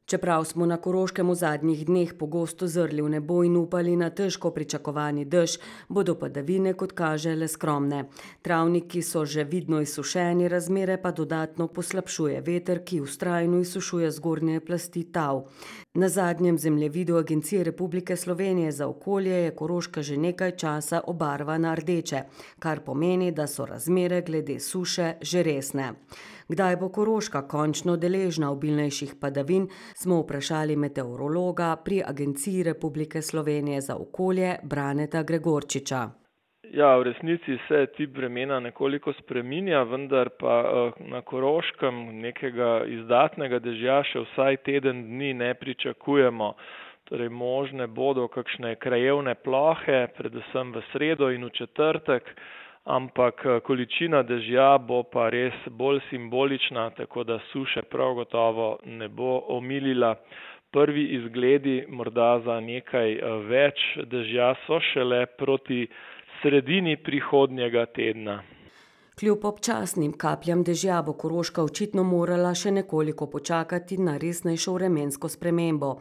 Čeprav smo na Koroškem v zadnjih dneh pogosto zrli v nebo in upali na težko pričakovani dež, bodo padavine, kot kaže, le skromne. Travniki so že vidno izsušeni, razmere pa dodatno poslabšuje veter, ki vztrajno izsušuje zgornje plasti tal. Na zadnjem zemljevidu Agencije Republike Slovenije za okolje je Koroška že nekaj časa obarvana rdeče, kar pomeni, da so razmere glede suše že resne. Kdaj bo Koroška končno deležna obilnejših padavin, smo vprašali meteorologa pri Agenciji Republike Slovenije za okolje Braneta Gregorčiča. Ja, v resnici se tip vremena nekoliko spreminja, vendar pa na Koroškem nekega izdatnega dežja še vsaj teden dni ne pričakujemo. Torej možne bodo kakšne krajevne plohe, predvsem v sredo in v četrtek, ampak količina dežja bo pa res bolj simbolična, tako da suše prav gotovo ne bo omilila. Prvi izgledi morda za nekaj več dežja so šele proti sredini prihodnjega tedna. Kljub občasnim kapljam dežja bo Koroška očitno morala še nekoliko počakati na resnejšo vremensko spremembo.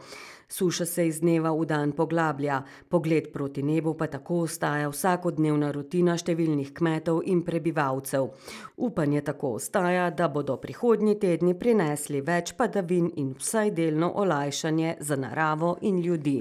Suša se iz dneva v dan poglablja, pogled proti nebu pa tako ostaja vsakodnevna rutina številnih kmetov in prebivalcev. Upanje tako ostaja, da bodo prihodnji tedni prinesli več padavin in vsaj delno olajšanje za naravo in ljudi.